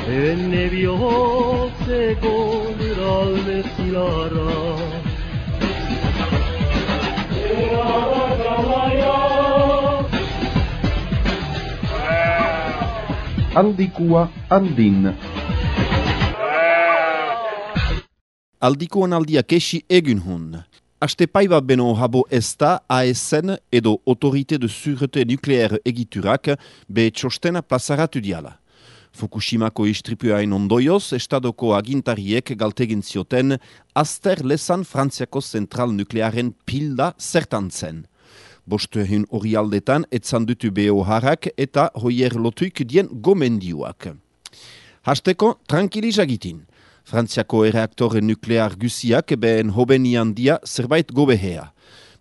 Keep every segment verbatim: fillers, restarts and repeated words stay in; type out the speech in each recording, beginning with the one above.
Enne bihotzeko niralde zilara Aldikua andin. Aldikoan aldia kesi egun hun. Aste paiba beno habo ezta A S N edo Autorité de Sûreté Nucléaire egiturak be txostena plazaratu diala. Fukushimako istripuain ondoioz, estadoko agintariek galtegin zioten azter lezan Frantziako zentral nuklearen pilda zertan zen. Bostuehun hori aldetan etzandutu beho harrak eta hoier lotuik dien gomendioak. Hasteko, tranquilizagitin. Frantziako erreaktore nuklear guziak behen hobenian dia zerbait gobehea.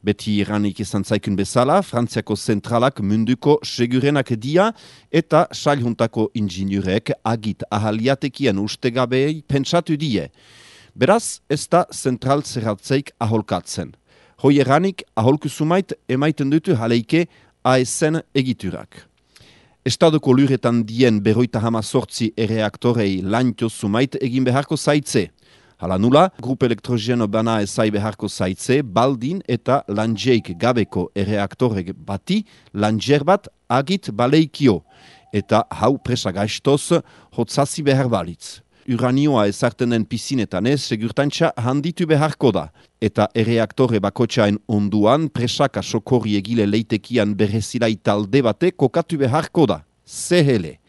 Beti iranik izan zaikun bezala, Frantziako zentralak munduko segurenak dia eta sailhuntako inginurek agit ahaliatekian ustegabei pentsatu die. Beraz, ez da zentral zerratzeik aholkatzen. Hoi eranik aholku sumait emaiten dutu haleike A S N egiturak. Estadoko luretan dien berroita hama sortzi erreaktorei lantio sumait egin beharko zaitze. Hala nula, grup elektrogeno bana ezai beharko zaitze, baldin eta lanjeik gabeko erreaktorek bati lanjer bat agit baleikio, eta hau presagaiztoz hotzazi behar balitz. Uranioa ezarten den pizinetan ez, segurtantza handitu beharko da, eta erreaktore bakotxain onduan presaka sokorri egile leitekian berrezilai talde bate kokatu beharko da. Zehele.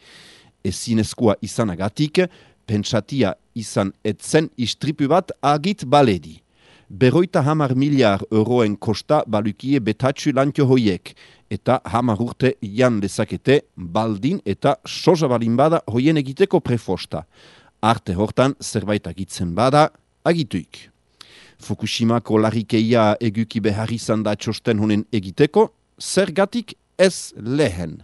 Ezinezkoa izanagatik, pentsatia izan etzen istripu bat agit baledi. Berroita hamar miliar euroen kosta balukie betatxu lantio hoiek, eta hamar urte jan lezakete baldin eta soja balin bada hoien egiteko prefosta. Arte hortan zerbait agitzen bada, agituik. Fukushimako larrikeia eguki behar izan da txosten honen egiteko, zergatik ez lehen.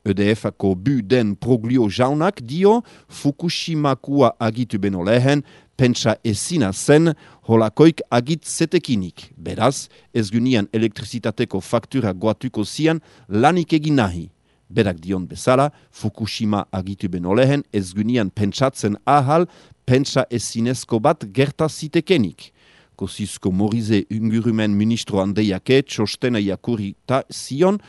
E D F-ako bu den proglio jaunak dio Fukushimakua agitu beno lehen, pentsa ezina zen holakoik agit zetekinik. Beraz, ez gunian elektrizitateko faktura goatuko zian lanik egin nahi. Berak dion bezala, Fukushima agitu beno lehen, ez gunian pentsatzen ahal, pentsa ezinezko bat gerta zitekenik. Kosizko Morize ingurumen ministro handeiake txostena jakurita zion,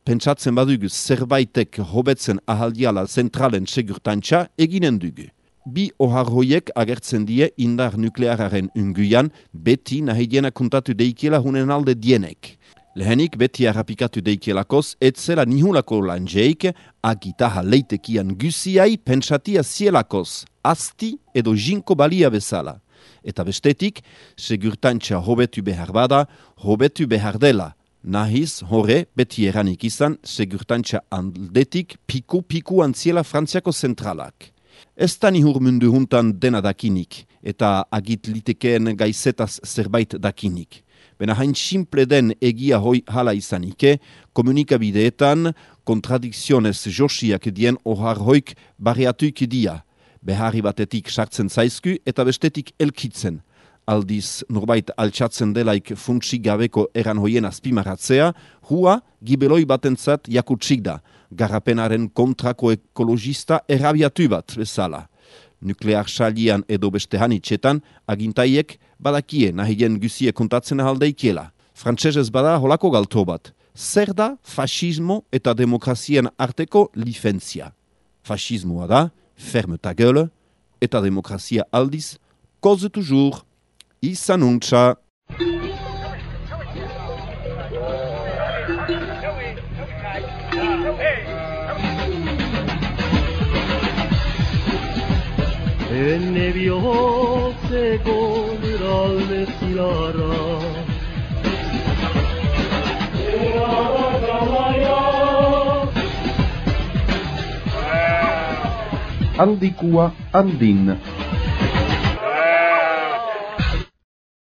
pentsatzen badugu zerbaitek hobetzen ahaldiala zentralen segurtantza eginen dugu. Bi ohar hoiek agertzen die indar nukleararen unguian, beti nahi diena kontatu deikiela hunen alde dienek. Lehenik beti harrapikatu deikielakoz, etzela nihulako lanjeik, agitaha leitekian guziai pentsatia zielakoz, asti edo jinko balia bezala. Eta bestetik, segurtantza hobetu behar bada, hobetu behar dela. Nahiz, hore, beti eranik izan, segurtantza aldetik piku-piku antziela Frantziako zentralak. Ez da nihur mundu huntan dena dakinik, eta agit litekeen gaizetaz zerbait dakinik. Bena hain simple den egia hoi hala izanike, komunikabideetan kontradikzionez josiak dien ohar hoik barriatuik dia. Beharri batetik sartzen zaizku eta bestetik elkitzen. Aldiz norbait altxatzen delaik funtsik gabeko eran hoien azpimaratzea, hua gibeloi batentzat jakutsik da, garrapenaren kontrako ekologista errabiatu bat bezala. Nuklear salian edo beste hanitxetan, agintaiek badakie nahien guzie kontatzen ahaldeikiela. Frantsesez bada holako galto bat. Zer da fascismo eta demokrazien arteko lifentzia? Fascismoa da, ferme ta gueule, eta demokrazia aldiz, cause toujours. Izan untxa. Enne bihotzeko niralde zilara Aldikua andin.